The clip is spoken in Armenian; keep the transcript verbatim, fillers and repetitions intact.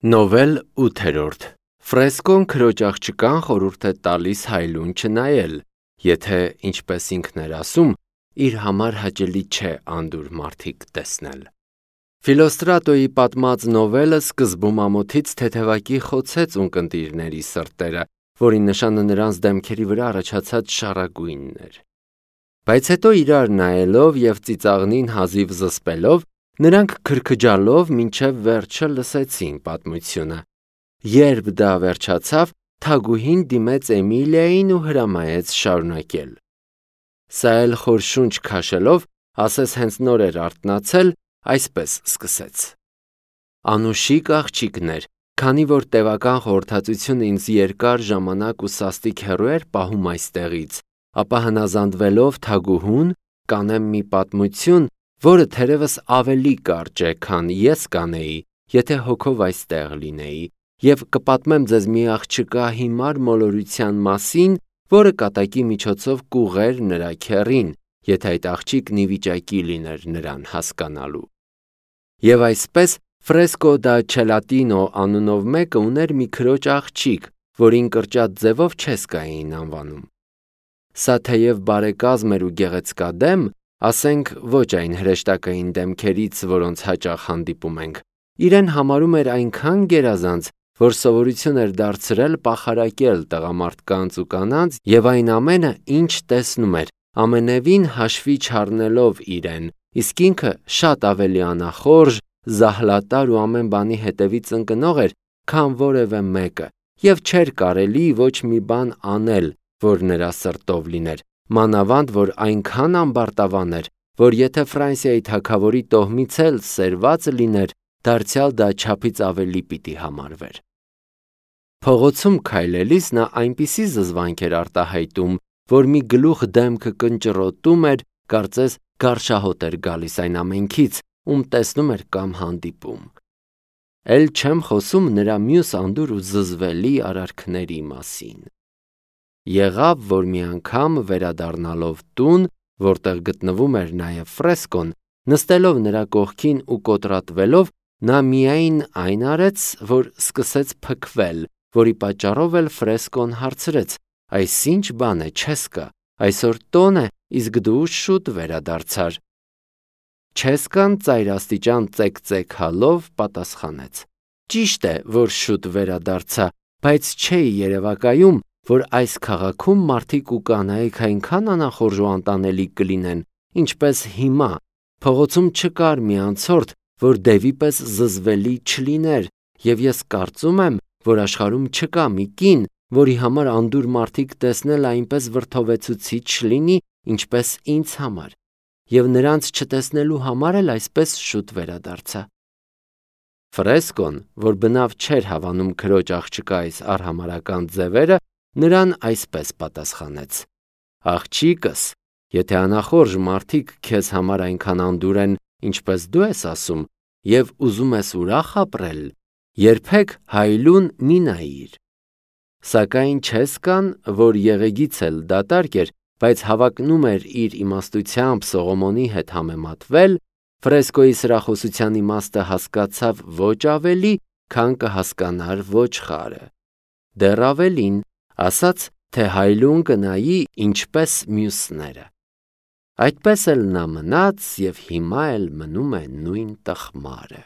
Նովել ութերորդ Ֆրեսկոն քրոջ աղջկան խորհուրդ է տալիս Հայլուն չնայել, եթե, ինչպես ինքն էր ասում, իր համար հաճելի չէ անդուր մարդիկ տեսնել։ Ֆիլոստրատոյի պատմած նովելը սկզբում ամոթից թեթևակի խոցեց ունկնդիրների սրտերը, որի նշանը նրանց դեմքերի վրա առաջացած շառագույնն էր։ Բայց հետո իրար նայելով և ծիծաղնին հազիվ զսպելով, նրանք քրքջալով մինչև վերջը լսեցին պատմությունը։ Երբ դա վերջացավ, թագուհին դիմեց Էմիլիային ու հրամայեց շարունակել։ Սա էլ խոր շունչ քաշելով, ասես հենց նոր էր արթնացել, այսպես սկսեց. Անուշիկ աղջիկներ, քանի որ տևական խորհրդածությունը ինձ երկար ժամանակ ու սաստիկ հեռու էր պահում այստեղից, ապա հնազանդվելով թագուհուն, կանեմ մի պատմություն, որը թերևս ավելի կարճ է, քան ես կանեի, եթե հոգով այստեղ լինեի, և կպատմեմ ձեզ մի աղջկա հիմար մոլորության մասին, որը կատակի միջոցով կուղեր նրա քեռին, եթե այդ աղջիկն ի վիճակի լիներ նրան հասկանալու։ Եվ այսպես Ֆրեսկո դա Չելատինո անունով մեկը ուներ մի քրոջ աղջիկ, որին կրճատ ձևով Չեսկա էին անվանում։ Սա թեև բարեկազմ էր ու գեղեցկադեմ, ասենք ոչ այն հրեշտակային դեմքերից, որոնց հաճախ հանդիպում ենք, իրեն համարում էր այնքան գերազանց, որ սովորություն էր դարձրել պախարակել տղամարդկանց ու կանանց և այն ամենը, ինչ տեսնում էր, ամենևին հաշվի չառնելով իրեն, իսկ ինքը շատ ավելի անախորժ, զահլատար ու ամեն բանի հետևից ընկնող էր, քան որևէ մեկը, և չէր կարելի ոչ մի բան անել, որ նրա սրտով լիներ, մանավանդ որ այնքան ամբարտավան էր, որ եթե Ֆրանսիայի թագավորի տոհմից էլ սերված լիներ, դարձյալ դա չափից ավելի պիտի համարվեր։ Փողոցում քայլելիս նա այնպիսի զզվանք էր արտահայտում, որ մի գլուխ դեմքը կնճռոտում էր, կարծես գարշահոտ էր գալիս այն ամենքից, ում տեսնում էր կամ հանդիպում։ Էլ չեմ խոսում նրա մյուս անդուր ու զզվելի արարքների մասին։ Եղավ, որ մի անգամ վերադառնալով տուն, որտեղ գտնվում էր նաև Ֆրեսկոն, նստելով նրա կողքին ու կոտրատվելով, նա միայն այն արեց, որ սկսեց փքվել, որի պատճառով էլ Ֆրեսկոն հարցրեց. «Այս ի՞նչ բան է, Չեսկա, այսօր տոն է, իսկ դու շուտ վերադարձար»։ Չեսկան ծայրաստիճան ծեքծեքալով պատասխանեց. «Ճիշտ է, որ շուտ վերադարձա, բայց չէի երևակայում, որ այս քաղաքում մարդիկ ու կանայք այնքան անախորժ ու անտանելի կլինեն, ինչպես հիմա, փողոցում չկար մի անցորդ, որ դևի պես զզվելի չլիներ, և ես կարծում եմ, որ աշխարհում չկա մի կին, որի համար անդուր մարդիկ տեսնելը այնպես վրդովեցուցիչ լինի, ինչպես ինձ համար, և նրանց չտեսնելու համար էլ այսպես շուտ վերադարձա»։ Ֆրեսկոն, որ բնավ չէր հավանում քրոջ աղջկա այս արհամարհական ձևերը, նրան այսպես պատասխանեց. «Աղջիկս, եթե անախորժ մարդիկ քեզ համար այնքան անդուր են, ինչպես դու ես ասում, և ուզում ես ուրախ ապրել, երբեք Հայլուն մի նայիր»։ Սակայն Չեսկան, որ եղեգից էլ դատարկ էր, բայց հավակնում էր իր իմաստությամբ Սողոմոնի հետ համեմատվել, Ֆրեսկոյի սրախոսության իմաստը հասկացավ ոչ ավելի, քան կհասկանար ոչխարը։ Դեռ ավելին, ասաց, թե Հայլուն կնայի ինչպես մյուսները։ Այդպես էլ նա մնաց և հիմա էլ մնում է նույն տխմարը։